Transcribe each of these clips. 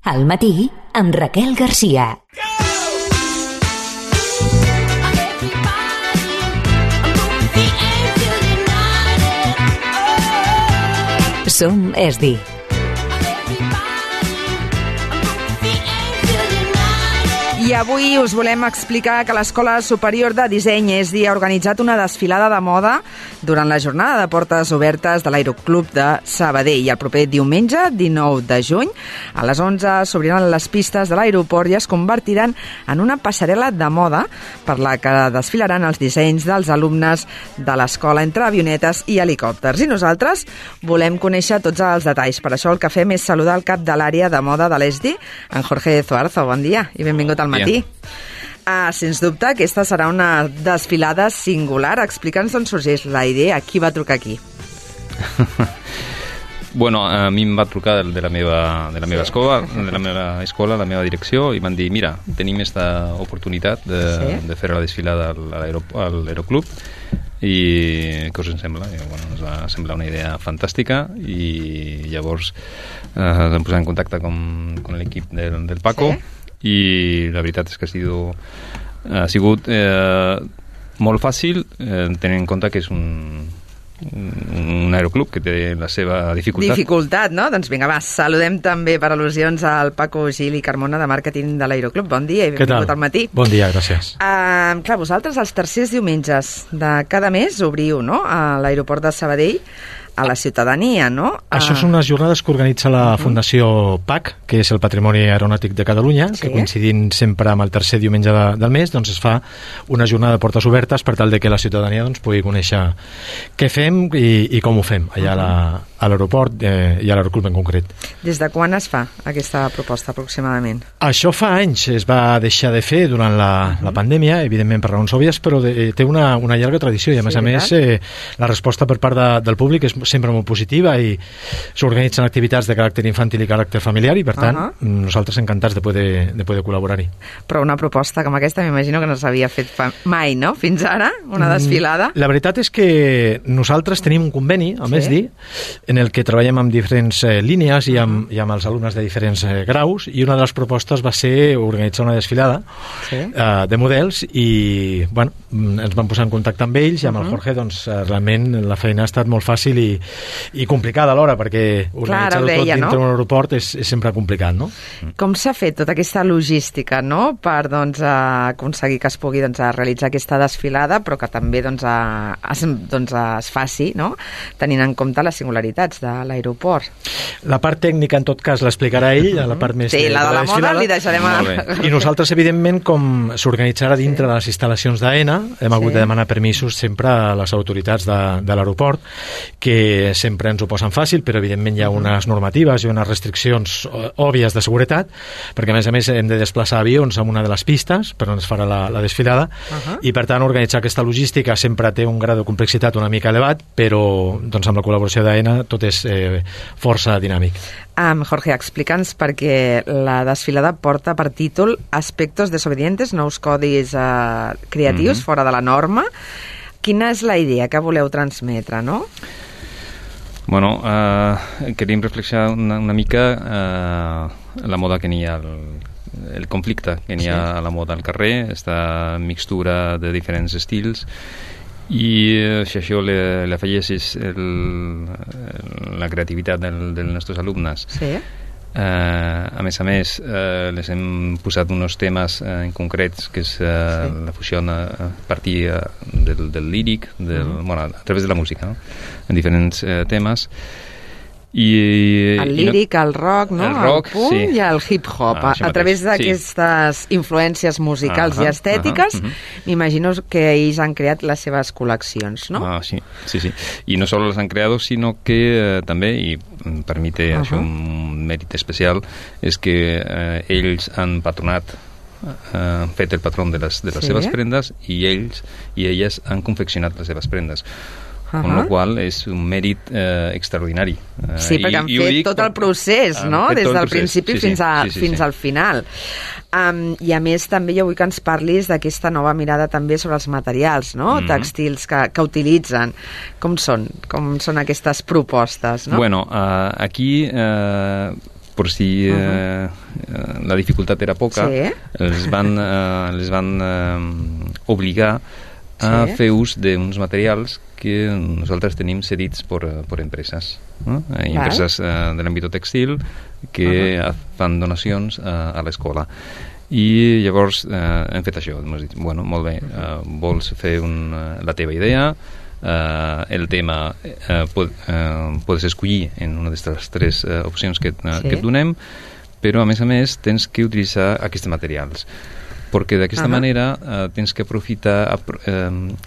Al matí, amb Raquel Garcia. Som ESDI. I avui us volem explicar que l'Escola Superior de Disseny ESDI ha organitzat una desfilada de moda durant la jornada de portes obertes de l'Aeroclub de Sabadell. I el proper diumenge, 19 de juny, a les 11 s'obriran les pistes de l'aeroport i es convertiran en una passarel·la de moda per la que desfilaran els dissenys dels alumnes de l'escola entre avionetes i helicòpters. I nosaltres volem conèixer tots els detalls. Per això el que fem és saludar el cap de l'àrea de moda de l'ESDI, en Jorge Zuarzo. Bon dia i benvingut al matí. Sens dubte, aquesta serà una desfilada singular. Explica'ns d'on sorgeix la idea, qui va trucar aquí? Bueno, a mi em va trucar de la meva escola, la meva direcció, i van dir, mira, tenim aquesta oportunitat de fer la desfilada a l'Aeroclub, i què us en sembla? I, bueno, ens va semblar una idea fantàstica, i llavors ens vam posar en contacte amb l'equip del Paco, i la veritat és que ha sigut molt fàcil, tenint en compte que és un aeroclub que té la seva dificultat. No? Doncs vinga, va, saludem també per al·lusions al Paco Gil i Carmona de màrqueting de l'Aeroclub. Bon dia i benvingut al matí. Bon dia, gràcies. Clar, vosaltres els tercers diumenges de cada mes obriu, no?, a l'aeroport de Sabadell, a la ciutadania, no? Això són unes jornades que organitza la Fundació PAC, que és el Patrimoni Aeronàutic de Catalunya, que coincidint sempre amb el tercer diumenge del mes, doncs es fa una jornada de portes obertes per tal de que la ciutadania pugui conèixer què fem i com ho fem allà a l'aeroport i a l'aeroclub en concret. Des de quan es fa aquesta proposta aproximadament? Això fa anys, es va deixar de fer durant la pandèmia, evidentment per raons òbvies, però té una llarga tradició i a més la resposta per part del públic és sempre molt positiva i s'organitzen activitats de caràcter infantil i caràcter familiar i per tant nosaltres encantats de poder col·laborar-hi. Però una proposta com aquesta m'imagino que no s'havia fet mai, no? Fins ara, una desfilada. La veritat és que nosaltres tenim un conveni amb ESDI en el que treballem amb diferents línies i amb els alumnes de diferents graus, i una de les propostes va ser organitzar una desfilada de models i bueno, ens vam posar en contacte amb ells i amb el Jorge, doncs realment la feina ha estat molt fàcil i complicada alhora, perquè organitzar-ho tot dintre d'un aeroport és sempre complicat, no? Com s'ha fet tota aquesta logística, no?, per aconseguir que es pugui realitzar aquesta desfilada, però que també es faci, no?, tenint en compte les singularitats de l'aeroport. La part tècnica, en tot cas, l'explicarà ell, la part més de la moda li deixarem I nosaltres, evidentment, com s'organitzarà dintre de les instal·lacions d'AENA, hem hagut de demanar permisos sempre a les autoritats de l'aeroport, que sempre ens ho posen fàcil, però evidentment hi ha unes normatives i unes restriccions òbvies de seguretat, perquè a més hem de desplaçar avions en una de les pistes per on es farà la desfilada, i per tant organitzar aquesta logística sempre té un grau de complexitat una mica elevat, però doncs, amb la col·laboració d'AENA tot és força dinàmic. Jorge, explica'ns, perquè la desfilada porta per títol Aspectos desobedientes, nous codis creatius fora de la norma. Quina és la idea que voleu transmetre, no? Bueno, queríem reflexionar una mica la moda que n'hi ha, el conflicte que n'hi ha a la moda al carrer, aquesta mixtura de diferents estils, i si això li afegeixes la creativitat dels nostres alumnes. A més, les hem posat uns temes en concrets, que és la fusió a partir del líric, a través de la música, no?, en diferents temes. El líric, el rock, no? El punk i el hip-hop. A través d'aquestes influències musicals i estètiques, m'imagino que ells han creat les seves col·leccions, no? Sí. I no sols les han creat, sinó que també, i per mi té això un mèrit especial, és que ells han patronat, han fet el patró de les seves prendes, i ells i elles han confeccionat les seves prendes. Con la qual és un mèrit extraordinari. Sí, perquè han fet tot el procés, no?, des del principi fins al final. I a més també jo vull que ens parlis d'aquesta nova mirada també sobre els materials, no?, tèxtils que utilitzen. Com són aquestes propostes, no? Bueno, aquí per si la dificultat era poca, els van obligar a fer ús d'uns materials que nosaltres tenim cedits per empreses, no? Empreses de l'àmbit textil que fan donacions a l'escola. I llavors hem fet això, hem dit, bueno, molt bé, vols fer la teva idea, el tema pots escollir en una d'aquestes 3 opcions que et donem, però a més tens que utilitzar aquests materials, perquè d'aquesta manera tens que aprofitar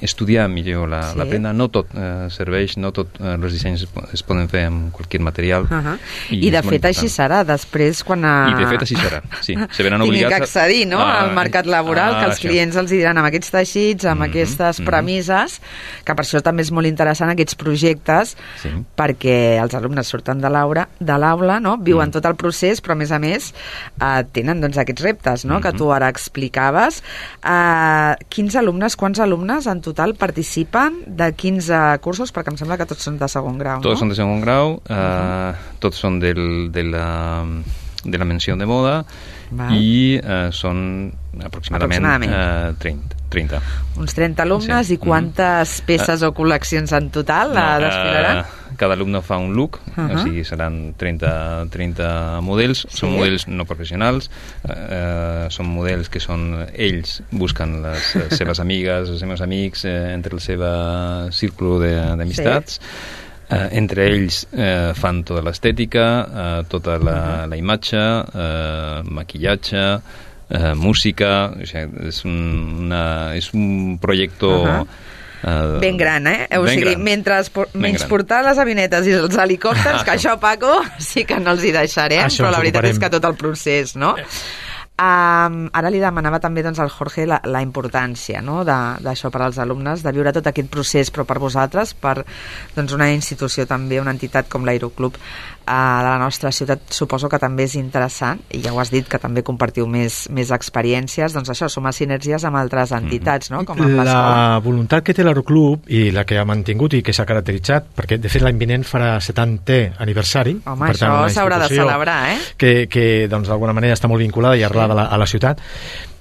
estudiar millor la prenda. No tot serveix, no tots els dissenys es poden fer amb qualsevol material. I de fet així serà després quan I de fet així serà, sí. Se veran obligats tinguin que accedir, no?, al mercat laboral, que els clients els diran amb aquests teixits, amb aquestes premisses, que per això també és molt interessant aquests projectes, perquè els alumnes surten de l'aula, no?, viuen tot el procés, però a més tenen doncs aquests reptes, no?, que tu ara explicaves. Quants alumnes en total participen de 15 cursos? Perquè em sembla que tots són de segon grau, no? Tots són de segon grau, tots són de la menció de moda i són aproximadament 30. Uns 30 alumnes, i quantes peces o col·leccions en total desfilaran? Cada alumne fa un look, o sigui, seran 30 models, són models no professionals, són models que ells busquen les seves amigues, els seus amics, entre el seu círculo d'amistats. Entre ells fan tota l'estètica, tota la imatge, maquillatge, música, o sigui, és un projecte ben gran, o sigui, menys portar les avinetes i els helicòpters, que això, Paco, sí que no els hi deixarem, però la veritat és que tot el procés, no? Ara li demanava també al Jorge la importància, no?, d'això per als alumnes, de viure tot aquest procés, però per vosaltres, per una institució també, una entitat com l'Aeroclub de la nostra ciutat, suposo que també és interessant, i ja ho has dit, que també compartiu més experiències, doncs això, sumar sinergies amb altres entitats, no?, com amb l'escola. La voluntat que té l'Aeroclub i la que ha mantingut i que s'ha caracteritzat, perquè de fet l'any vinent farà 70è aniversari. Home, això s'haurà de celebrar, que d'alguna manera està molt vinculada i arrelada a la ciutat.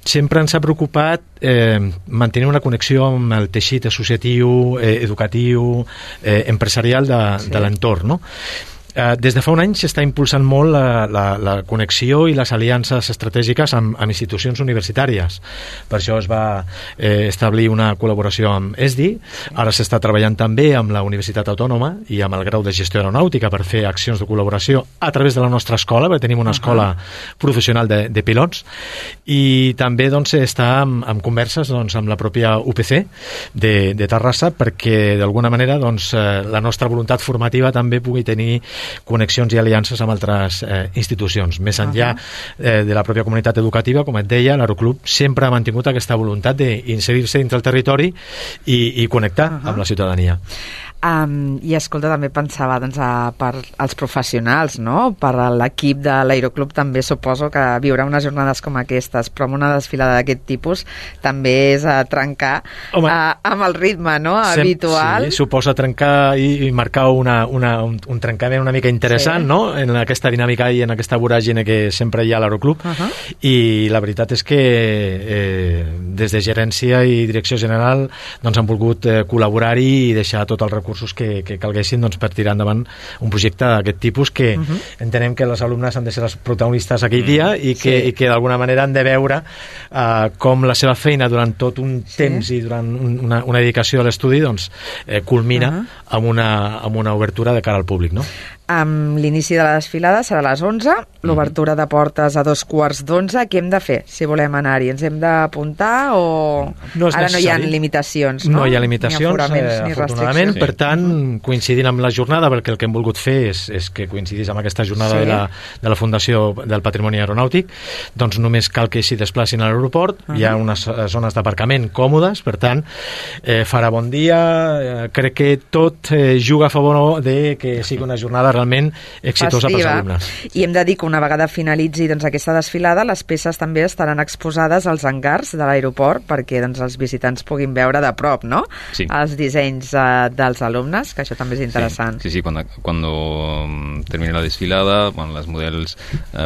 Sempre ens ha preocupat mantenir una connexió amb el teixit associatiu, educatiu, empresarial de l'entorn, no? Des de fa un any s'està impulsant molt la connexió i les aliances estratègiques amb institucions universitàries. Per això es va establir una col·laboració amb ESDI. Ara s'està treballant també amb la Universitat Autònoma i amb el grau de gestió aeronàutica per fer accions de col·laboració a través de la nostra escola, perquè tenim una escola professional de pilots, i també està en converses amb la pròpia UPC de Terrassa, perquè d'alguna manera la nostra voluntat formativa també pugui tenir connexions i aliances amb altres institucions. Més enllà de la pròpia comunitat educativa, com et deia, l'Aeroclub sempre ha mantingut aquesta voluntat d'inserir-se dintre el territori i connectar amb la ciutadania. I escolta, també pensava per als professionals, no?, per l'equip de l'Aeroclub també suposo que viure unes jornades com aquestes, però amb una desfilada d'aquest tipus també és trencar amb el ritme, no?, habitual. Sí, suposa trencar i marcar un trencament una mica interessant, no?, en aquesta dinàmica i en aquesta voràgine que sempre hi ha a l'Aeroclub, i la veritat és que des de gerència i direcció general han volgut col·laborar-hi i deixar tot el recurs que calguessin per tirar endavant un projecte d'aquest tipus, que entenem que els alumnes han de ser els protagonistes aquell dia i que d'alguna manera han de veure com la seva feina durant tot un temps i durant una dedicació a l'estudi culmina amb una obertura de cara al públic, no? L'inici de la desfilada serà a les 11, l'obertura de portes a 11:15. Què hem de fer si volem anar-hi? Ens hem d'apuntar o ara no hi ha limitacions? No hi ha limitacions, afortunadament. Per tant, coincidint amb la jornada, perquè el que hem volgut fer és que coincidís amb aquesta jornada de la Fundació del Patrimoni Aeronàutic, doncs només cal que s'hi desplacin a l'aeroport. Hi ha unes zones d'aparcament còmodes, per tant, farà bon dia. Crec que tot juga a favor de que sigui una jornada realment exitosa pels festiva. alumnes. I hem de dir que una vegada finalitzi doncs, aquesta desfilada, les peces també estaran exposades als hangars de l'aeroport perquè doncs, els visitants puguin veure de prop, no? Sí. Els dissenys dels alumnes, que això també és interessant. Sí, cuando termine la desfilada, bueno, los modelos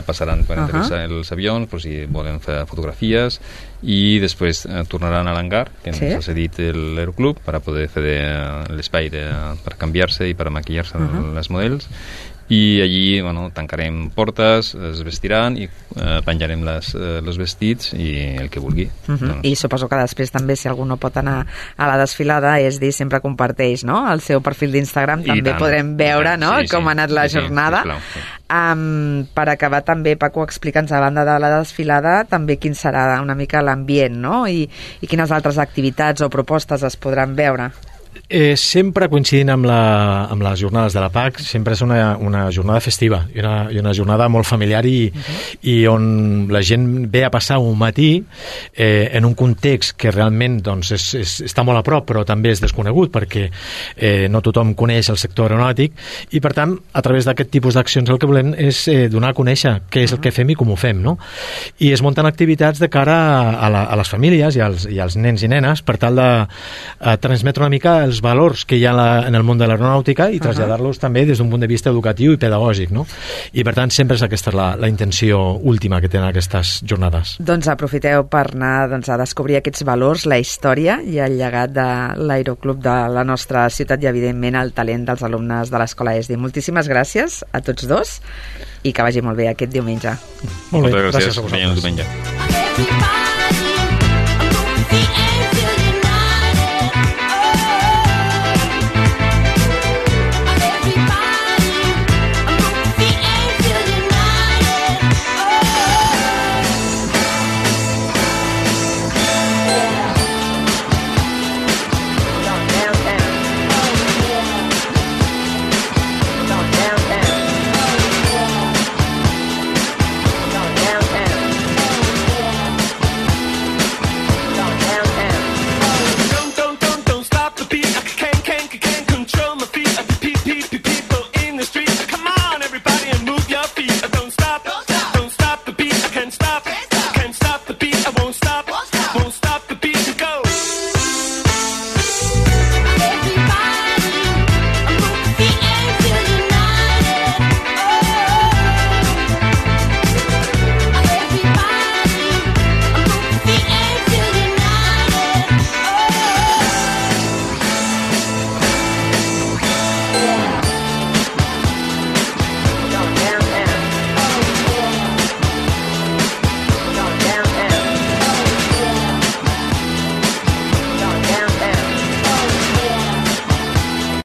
pasarán per aterrissar els avions, per si volen fer fotografies, i després tornaran a l'hangar que ens ha cedit l'aeroclub per a poder fer l'espai per canviar-se i per a maquillar-se les models, i allí tancarem portes, es vestiran i penjarem els vestits i el que vulgui. I suposo que després també, si algú no pot anar a la desfilada, és dir, sempre comparteix, no?, el seu perfil d'Instagram, també podrem veure, no?, com ha anat la jornada. Per acabar també, Paco, explica'ns, a banda de la desfilada, també quin serà una mica l'ambient, no?, i quines altres activitats o propostes es podran veure. Sempre coincidint amb les jornades de la PAC, sempre és una jornada festiva i una jornada molt familiar i on la gent ve a passar un matí en un context que realment doncs, està molt a prop però també és desconegut perquè no tothom coneix el sector aeronàutic i per tant a través d'aquest tipus d'accions el que volem és donar a conèixer què és el que fem i com ho fem, no? I es munten activitats de cara a les famílies i als nens i nenes per tal de transmetre una mica els valors que hi ha en el món de l'aeronàutica i traslladar-los també des d'un punt de vista educatiu i pedagògic, no? I per tant sempre és aquesta la intenció última que tenen aquestes jornades. Doncs aprofiteu per anar a descobrir aquests valors, la història i el llegat de l'Aeroclub de la nostra ciutat i evidentment el talent dels alumnes de l'Escola ESDI. Moltíssimes gràcies a tots dos i que vagi molt bé aquest diumenge. Molt bé, gràcies a vosaltres. Diumenge.